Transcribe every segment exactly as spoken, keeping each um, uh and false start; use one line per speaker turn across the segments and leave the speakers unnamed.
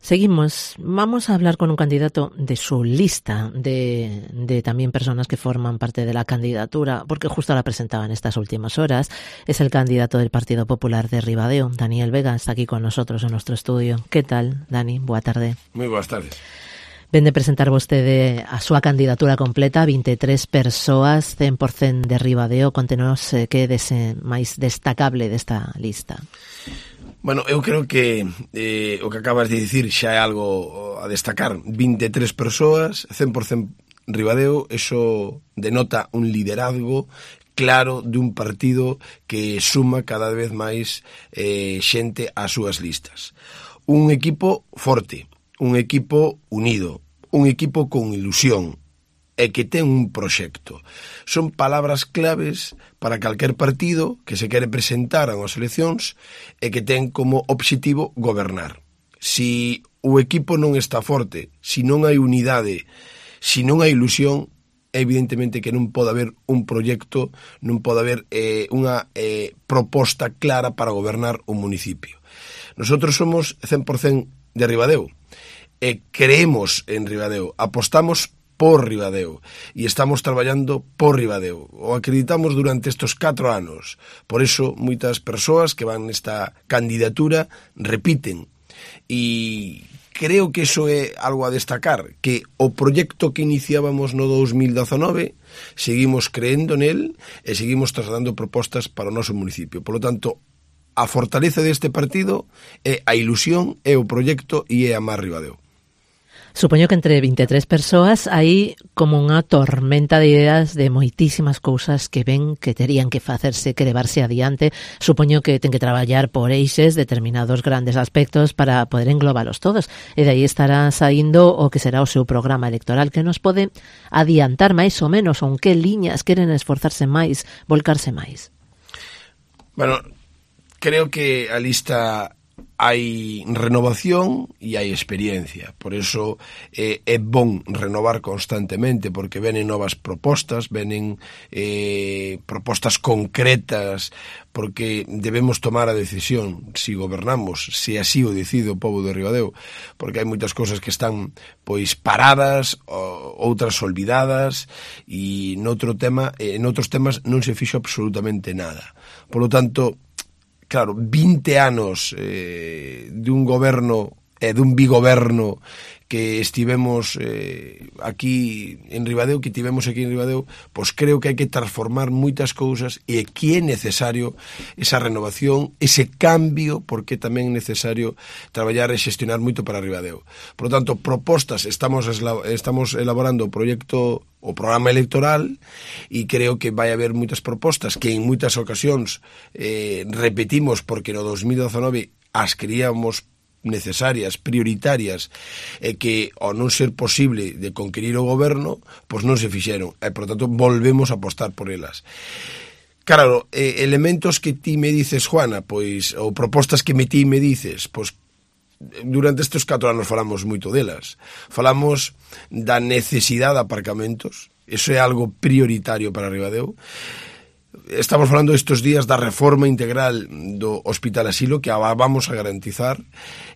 Seguimos. Vamos a hablar con un candidato de su lista, de, de también personas que forman parte de la candidatura, porque justo la presentaba en estas últimas horas. Es el candidato del Partido Popular de Ribadeo, Daniel Vega, está aquí con nosotros en nuestro estudio. ¿Qué tal, Dani? Boa tarde.
Moi boas tardes.
Ven de presentar vostede a súa candidatura completa, vinte e tres persoas, cen por cento de Ribadeo. Contenos eh, que é dese máis destacable desta lista.
Bueno, eu creo que eh, o que acabas de dicir xa é algo a destacar. vinte e tres persoas, cen por cento Ribadeo, eso denota un liderazgo claro de un partido que suma cada vez máis eh, xente ás súas listas. Un equipo forte, un equipo unido, un equipo con ilusión e que ten un proxecto. Son palabras claves para calquer partido que se quere presentar ás eleccións e que ten como obxectivo gobernar. Si o equipo non está forte, si non hai unidade, si non hai ilusión, evidentemente que non pode haber un proxecto, non pode haber eh, unha eh, proposta clara para gobernar un municipio. Nosotros somos cen por cento de Ribadeo e creemos en Ribadeo, apostamos por Ribadeo e estamos traballando por Ribadeo. O acreditamos durante estes catro anos. Por eso, moitas persoas que van nesta candidatura repiten. E creo que iso é algo a destacar, que o proxecto que iniciábamos no dos mil dezanove seguimos creendo nel e seguimos trasladando propostas para o noso municipio. Por lo tanto, a fortaleza deste partido é a ilusión, é o proxecto e é amar Ribadeo.
Supoño que entre vinte e tres persoas hai como unha tormenta de ideas de moitísimas cousas que ven que terían que facerse, que levarse adiante. Supoño que ten que traballar por eixes determinados grandes aspectos para poder englobalos todos. E de aí estará saindo o que será o seu programa electoral, que nos pode adiantar máis ou menos ou en que liñas queren esforzarse máis, volcarse máis.
Bueno, creo que a lista hai renovación e hai experiencia, por eso eh, é bon renovar constantemente, porque venen novas propostas, venen eh, propostas concretas, porque debemos tomar a decisión si gobernamos, se así o decide o pobo de Ribadeo, porque hai moitas cousas que están pois paradas, outras olvidadas, e noutro tema, en outros temas non se fixo absolutamente nada. Por lo tanto, claro, vinte anos eh, de un goberno e eh, dun bigoberno que estivemos eh, aquí en Ribadeo, que tivemos aquí en Ribadeo, pois creo que hai que transformar moitas cousas e que é necesario esa renovación, ese cambio, porque tamén é necesario traballar e xestionar moito para Ribadeo. Por lo tanto, propostas, estamos, estamos elaborando o proxecto, o programa electoral, e creo que vai haber moitas propostas que en moitas ocasións eh, repetimos porque no dos mil dezanove as creíamos necesarias, prioritarias, e que ao non ser posible de conquerir o goberno, pois non se fixeron, e por tanto volvemos a apostar por elas. Claro, eh, elementos que ti me dices, Juana, pois, ou propostas que me ti me dices, pois durante estes catro anos falamos moito delas. Falamos da necesidade de aparcamentos, eso é algo prioritario para Ribadeo. Estamos falando estes días da reforma integral do Hospital Asilo, que a vamos a garantizar.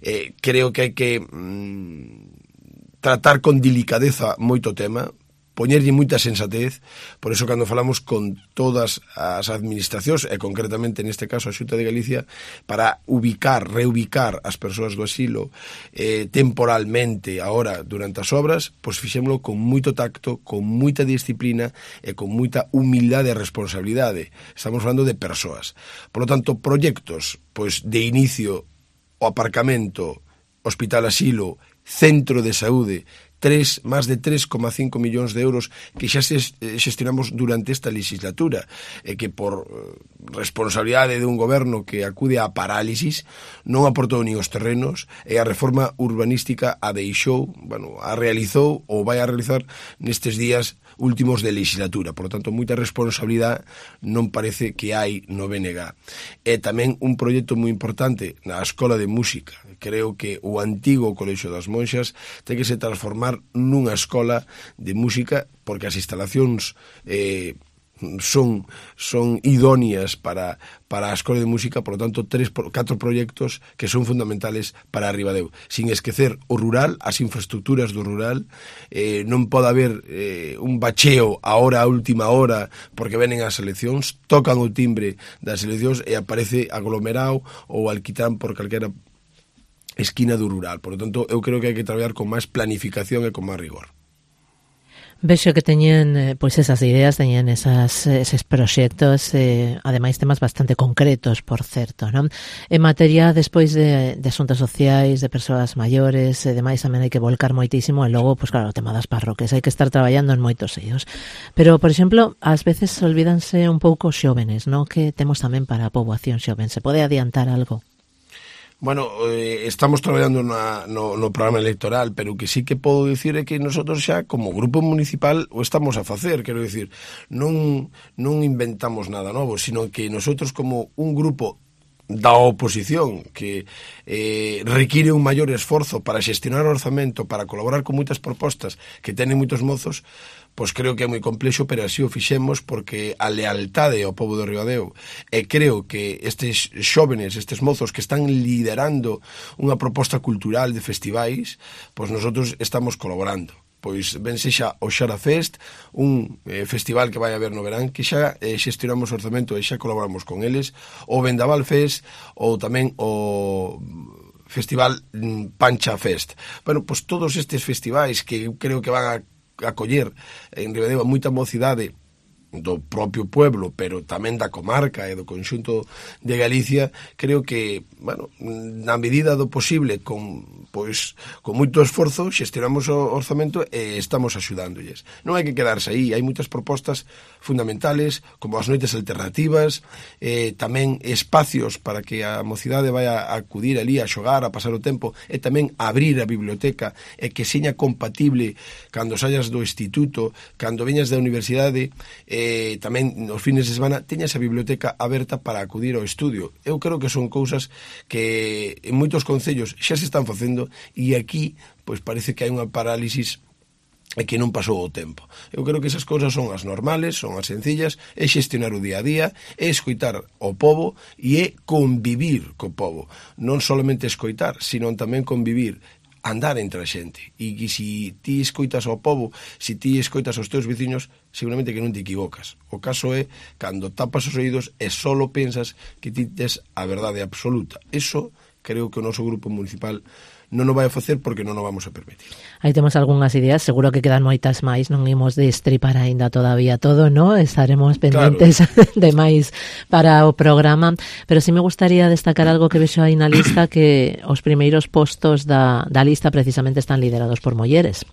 Eh, creo que hai que mm, tratar con delicadeza moito tema, poñerlle moita sensatez, por eso cando falamos con todas as administracións, e concretamente neste caso a Xunta de Galicia, para ubicar, reubicar as persoas do asilo eh, temporalmente, agora, durante as obras, pois fixémolo con moito tacto, con moita disciplina e con moita humildade e responsabilidade. Estamos falando de persoas. Por lo tanto, proxectos, pois de inicio, o aparcamento, Hospital Asilo, Centro de Saúde, tres, máis de tres coma cinco millóns de euros que xa se xestionamos durante esta legislatura, e que por responsabilidade de un goberno que acude á parálisis non aportou nin os terrenos, e a reforma urbanística a deixou, bueno, a realizou ou vai a realizar nestes días últimos de legislatura. Por lo tanto, moita responsabilidade non parece que hai no B N G. E tamén un proxecto moi importante na Escola de Música. Creo que o antigo Colexio das Monxas ten que se transformar nunha escola de música, porque as instalacións eh, son son idóneas para para a Escola de Música, por lo tanto, tres, catro proxectos que son fundamentales para Ribadeo. Sin esquecer o rural, as infraestructuras do rural, eh, non pode haber eh, un bacheo a hora, a última hora, porque venen as eleccións, tocan o timbre das eleccións e aparece aglomerado ou alquitrán por calquera esquina do rural. Por lo tanto, eu creo que hai que traballar con máis planificación e con máis rigor.
Vexo que teñen pois esas ideas, teñen esas, eses proxectos, eh, ademais temas bastante concretos, por certo, non? En materia, despois de, de asuntos sociais, de persoas maiores, e demais, tamén hai que volcar moitísimo, e logo, pois claro, o tema das parroquias, hai que estar traballando en moitos eios. Pero, por exemplo, ás veces olvídanse un pouco xóvenes, non? Que temos tamén para a poboación xoven. Se pode adiantar algo?
Bueno, eh, estamos traballando na, no, no programa electoral, pero o que sí que podo dicir é que nosotros xa, como grupo municipal, o estamos a facer, quero dicir, non, non inventamos nada novo, sino que nosotros como un grupo da oposición que eh, require un maior esforzo para xestionar o orzamento, para colaborar con moitas propostas que tenen moitos mozos, pois creo que é moi complexo, pero así o fixemos porque a lealtade ao pobo de Ribadeo, e creo que estes xóvenes, estes mozos que están liderando unha proposta cultural de festivais, pois nosotros estamos colaborando. Pois ben sexa o Xara Fest, un eh, festival que vai haber no verán, que xa eh, xestionamos o orzamento e xa colaboramos con eles, o Vendaval Fest, ou tamén o Festival Pancha Fest. Bueno, pois todos estes festivais que creo que van a acoller en Ribadeo moita mocidade do propio pueblo, pero tamén da comarca e do conxunto de Galicia, creo que, bueno, na medida do posible, con, pois, con moito esforzo, xestionamos o orzamento e estamos axudándolles. Non hai que quedarse aí, hai moitas propostas fundamentales, como as noites alternativas, eh, tamén espacios para que a mocidade vai a acudir ali a xogar, a pasar o tempo, e tamén abrir a biblioteca, e que seña compatible cando saias do instituto, cando veñas da universidade, eh, tamén nos fines de semana teñas a biblioteca aberta para acudir ao estudio. Eu creo que son cousas que en moitos concellos xa se están facendo, e aquí pois parece que hai unha parálisis e que non pasou o tempo. Eu creo que esas cousas son as normales, son as sencillas, é xestionar o día a día, é escoitar o pobo e é convivir co pobo. Non solamente escoitar, sino tamén convivir, andar entre a xente. E que se ti escoitas ao pobo, se ti escoitas aos teus veciños, seguramente que non te equivocas. O caso é cando tapas os oídos e solo pensas que ti tes a verdade absoluta. Eso creo que o noso grupo municipal non o vai a facer porque non o vamos a permitir.
Aí temos algunhas ideas, seguro que quedan moitas máis, non imos de estripar aínda todavía todo, ¿no? Estaremos pendentes, claro, de máis para o programa, pero sí me gustaría destacar algo que vexo aí na lista, que os primeiros postos da, da lista precisamente están liderados por mulleres.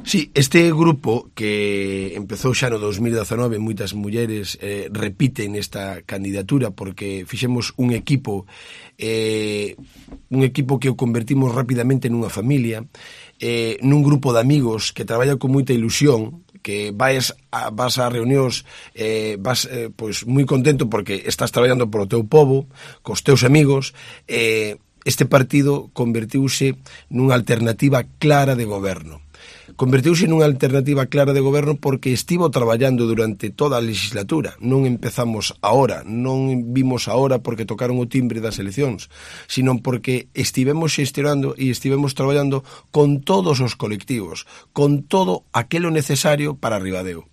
Sí, este grupo que empezou xa no dos mil dezanove, moitas mulleres eh, repiten esta candidatura porque fixemos un equipo eh, un equipo que o convertimos rapidamente nunha familia, eh, nun grupo de amigos que traballa con moita ilusión, que vais a, vas a reunións, eh, vas eh, pois moi contento porque estás traballando polo teu pobo, cos teus amigos. Eh, este partido convertiuse nunha alternativa clara de goberno. Convertiuse nunha alternativa clara de goberno porque estivo traballando durante toda a legislatura. Non empezamos ahora, non vimos ahora porque tocaron o timbre das eleccións, sino porque estivemos xestionando e estivemos traballando con todos os colectivos, con todo aquelo necesario para Ribadeo.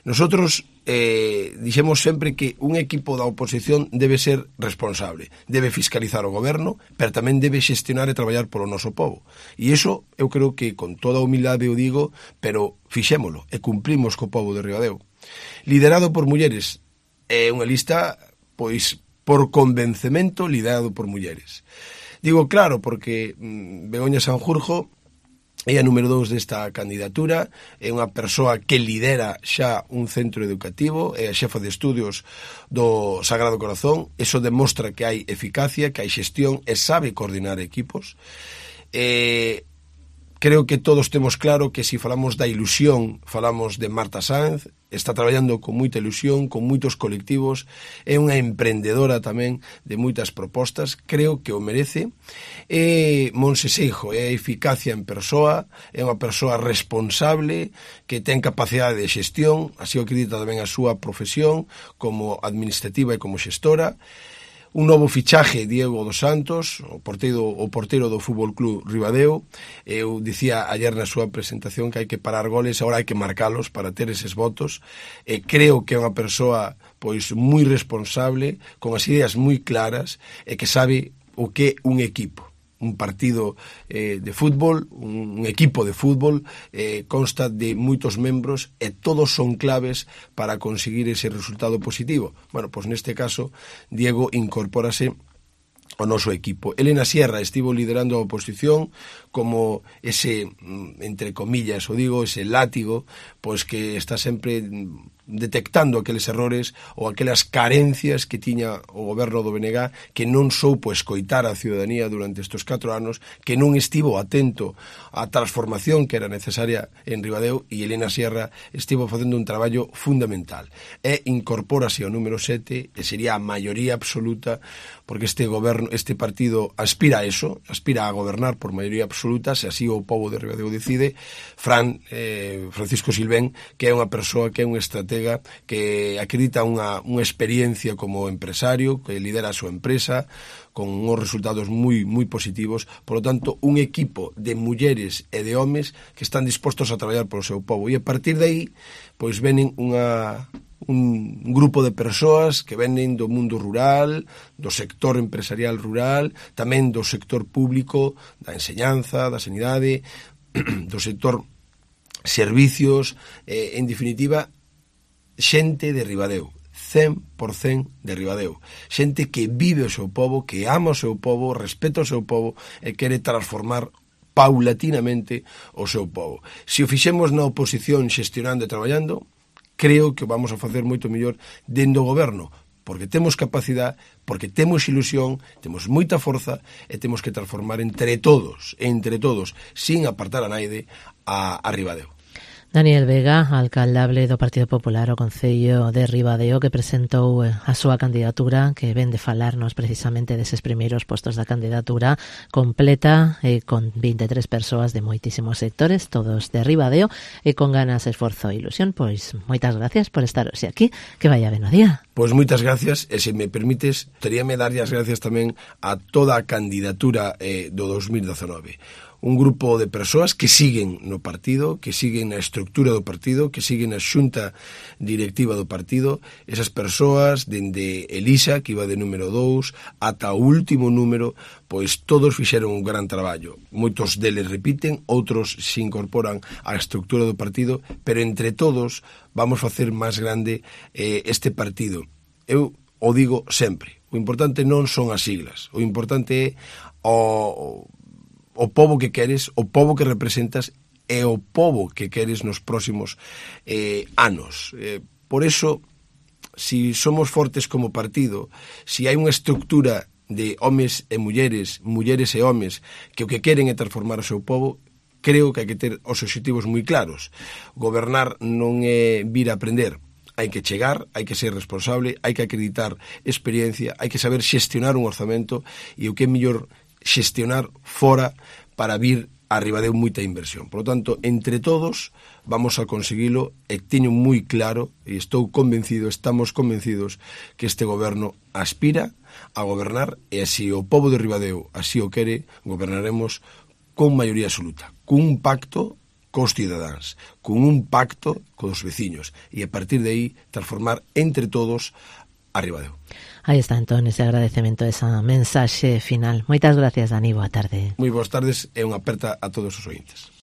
Nosotros eh, dixemos sempre que un equipo da oposición debe ser responsable, debe fiscalizar o goberno, pero tamén debe xestionar e traballar polo noso povo. E iso eu creo que con toda a humildade o digo, pero fixémolo e cumplimos co povo de Ribadeo. Liderado por mulleres, é unha lista, pois, por convencemento liderado por mulleres. Digo claro porque mm, Begoña Sanjurjo é a número dous desta candidatura, é unha persoa que lidera xa un centro educativo, é a xefa de estudios do Sagrado Corazón. Eso demostra que hai eficacia, que hai xestión e sabe coordinar equipos. Eh, creo que todos temos claro que se falamos da ilusión, falamos de Marta Sáenz, está traballando con moita ilusión, con moitos colectivos, é unha emprendedora tamén de moitas propostas, creo que o merece. É Monse Seijo, é a eficacia en persoa, é unha persoa responsable, que ten capacidade de xestión, así o acredita tamén a súa profesión como administrativa e como xestora. Un novo fichaje, Diego dos Santos, o porteiro, o porteiro do Fútbol Club Ribadeo. Eu dicía ayer na súa presentación que hai que parar goles, agora hai que marcalos para ter eses votos. E creo que é unha persoa pois moi responsable, con as ideas moi claras e que sabe o que é un equipo. Un partido eh, de fútbol, un, un equipo de fútbol, eh, consta de moitos membros e todos son claves para conseguir ese resultado positivo. Bueno, pois neste caso, Diego incorpórase ao noso equipo. Elena Sierra estivo liderando a oposición como ese, entre comillas, o digo, ese látigo, pois que está sempre detectando aqueles errores ou aquelas carencias que tiña o goberno do B N G que non soupo escoitar a ciudadanía durante estes catro anos, que non estivo atento á transformación que era necesaria en Ribadeo, e Elena Sierra estivo facendo un traballo fundamental. E incorpórase ao número sete, e sería a maioría absoluta, porque este goberno, este partido aspira a eso, aspira a gobernar por maioría absoluta, se así o povo de Ribadeo decide. Fran, eh, Francisco Silvén, que é unha persoa que é un estratega que acredita unha, unha experiencia como empresario, que lidera a súa empresa con uns resultados moi moi positivos. Por lo tanto, un equipo de mulleres e de homes que están dispostos a traballar polo seu povo, e a partir de aí pois venen unha un grupo de persoas que venen do mundo rural, do sector empresarial rural, tamén do sector público, da enseñanza, da sanidade, do sector servicios, eh, en definitiva, xente de Ribadeo, cen por cen de Ribadeo, xente que vive o seu povo, que ama o seu povo, respeta o seu povo e quere transformar paulatinamente o seu povo. Se o fixemos na oposición xestionando e traballando, creo que vamos a facer moito mellor dentro do goberno, porque temos capacidade, porque temos ilusión, temos moita forza e temos que transformar entre todos, entre todos, sin apartar a naide, a, a Ribadeo.
Daniel Vega, alcaldable do Partido Popular ao Concello de Ribadeo, que presentou a súa candidatura, que ven de falarnos precisamente deses primeiros postos da candidatura completa, eh, con vinte e tres persoas de moitísimos sectores, todos de Ribadeo, e con ganas, esforzo e ilusión. Pois moitas gracias por estar hoxe aquí, que vaya ben o día.
Pois moitas gracias, e se me permites, teríame darlle as gracias tamén a toda a candidatura eh, do dos mil dezenove. Un grupo de persoas que siguen no partido, que siguen na estructura do partido, que siguen na xunta directiva do partido. Esas persoas, dende Elisa, que iba de número dous, ata o último número, pois todos fixeron un gran traballo. Moitos deles repiten, outros se incorporan á estructura do partido, pero entre todos vamos facer máis grande eh, este partido. Eu o digo sempre, o importante non son as siglas, o importante é o... o povo que queres, o povo que representas e o povo que queres nos próximos eh, anos. Eh, por eso, si somos fortes como partido, si hai unha estructura de homes e mulleres, mulleres e homes, que o que queren é transformar o seu povo, creo que hai que ter os obxectivos moi claros. Gobernar non é vir a aprender, hai que chegar, hai que ser responsable, hai que acreditar experiencia, hai que saber xestionar un orzamento, e o que é mellor xestionar fora para vir a Ribadeo moita inversión. Por lo tanto, entre todos vamos a conseguilo, e teño moi claro, e estou convencido, estamos convencidos, que este goberno aspira a gobernar, e así o povo de Ribadeo así o quere, gobernaremos con maioría absoluta, con un pacto cos cidadáns, con un pacto cos veciños, e a partir de aí transformar entre todos a Ribadeo.
Aí está entón ese agradecemento, esa mensaxe final. Moitas gracias, Dani, boa tarde.
Moi boas tardes e unha aperta a todos os ointes.